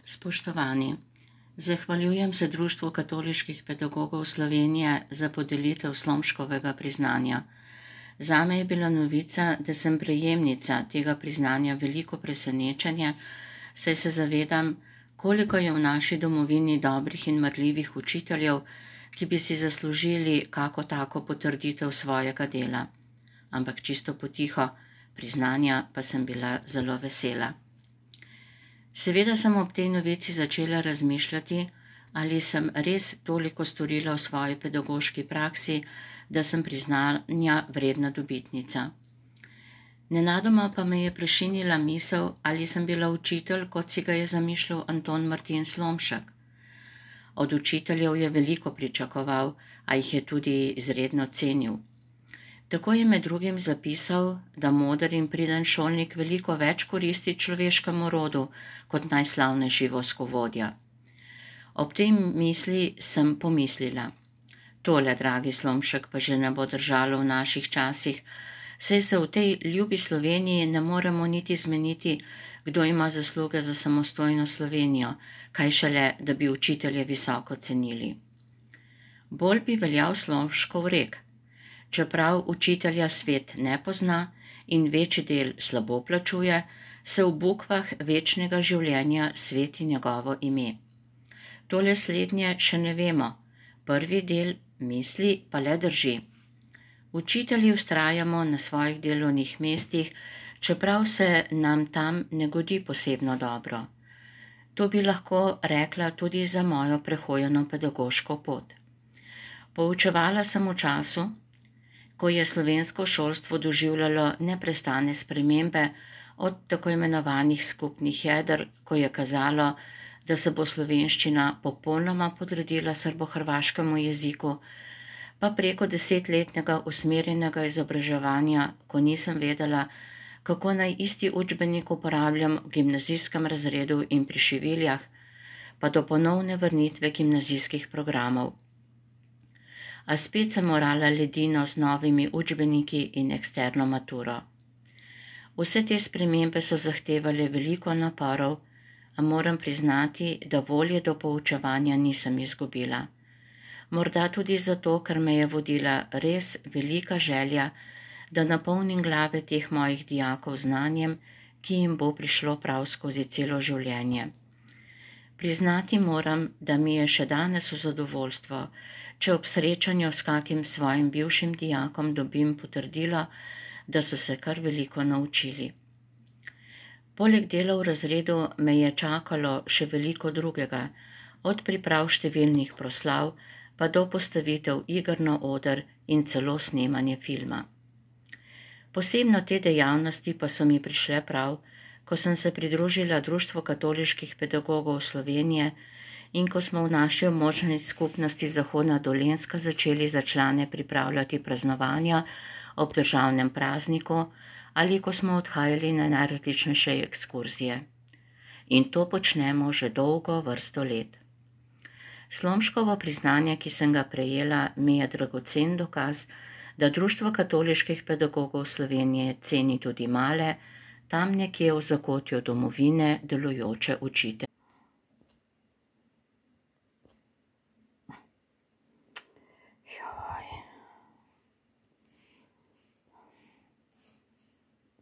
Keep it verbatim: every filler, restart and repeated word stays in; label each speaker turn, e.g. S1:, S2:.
S1: Spoštovani, zahvaljujem se Društvu katoliških pedagogov Slovenije za podelitev Slomškovega priznanja. Zame je bila novica, da sem prejemnica tega priznanja veliko presenečenje, saj se zavedam, koliko je v naši domovini dobrih in marljivih učiteljev, ki bi si zaslužili kako tako potrditev svojega dela. Ampak čisto potiho, priznanja pa sem bila zelo vesela. Seveda sem ob tej novici začela razmišljati, ali sem res toliko storila v svoji pedagoški praksi, da sem priznanja vredna dobitnica. Nenadoma pa me je prešinila misel, ali sem bila učitelj, kot si ga je zamišljal Anton Martin Slomšek. Od učiteljev je veliko pričakoval, a jih je tudi izredno cenil. Tako je med drugim zapisal, da moder in priden šolnik veliko več koristi človeškemu rodu kot najslavnejši voskovodja. Ob tej misli sem pomislila: tole, dragi Slomšek, pa že ne bo držalo v naših časih, saj se v tej ljubi Sloveniji ne moremo niti zmeniti, kdo ima zasluge za samostojno Slovenijo, kaj šele, da bi učitelje visoko cenili. Bolj bi veljal Slomškov rek: čeprav učitelja svet ne pozna in večji del slabo plačuje, se v bukvah večnega življenja sveti njegovo ime. Tole slednje še ne vemo, prvi del misli pa le drži. Učitelji vztrajamo na svojih delovnih mestih, čeprav se nam tam ne godi posebno dobro. To bi lahko rekla tudi za mojo prehojeno pedagoško pot. Poučevala sem v času, ko je slovensko šolstvo doživljalo neprestane spremembe, od tako imenovanih skupnih jeder, ko je kazalo, da se bo slovenščina popolnoma podredila srbohrvaškemu jeziku, pa preko desetletnega usmerjenega izobraževanja, ko nisem vedela, kako naj isti učbenik uporabljam v gimnazijskem razredu in pri šiviljah, pa do ponovne vrnitve gimnazijskih programov. A spet sem morala ledino z novimi učbeniki in eksterno maturo. Vse te spremembe so zahtevale veliko naporov, a moram priznati, da volje do poučevanja nisem izgubila. Morda tudi zato, ker me je vodila res velika želja, da napolnim glave teh mojih dijakov znanjem, ki jim bo prišlo prav skozi celo življenje. Priznati moram, da mi je še danes v zadovoljstvo, če ob srečanju s kakim svojim bivšim dijakom dobim potrdilo, da so se kar veliko naučili. Poleg dela v razredu me je čakalo še veliko drugega, od priprav številnih proslav pa do postavitev iger na oder in celo snemanje filma. Posebno te dejavnosti pa so mi prišle prav, ko sem se pridružila Društvu katoliških pedagogov Slovenije in ko smo v naši območni skupnosti Zahodna Dolenjska začeli za člane pripravljati praznovanja ob državnem prazniku ali ko smo odhajali na najrazličnejše ekskurzije. In to počnemo že dolgo vrsto let. Slomškovo priznanje, ki sem ga prejela, mi je dragocen dokaz, da Društvo katoliških pedagogov Slovenije ceni tudi male, tam nekje v zakotju domovine delujoče učitelje.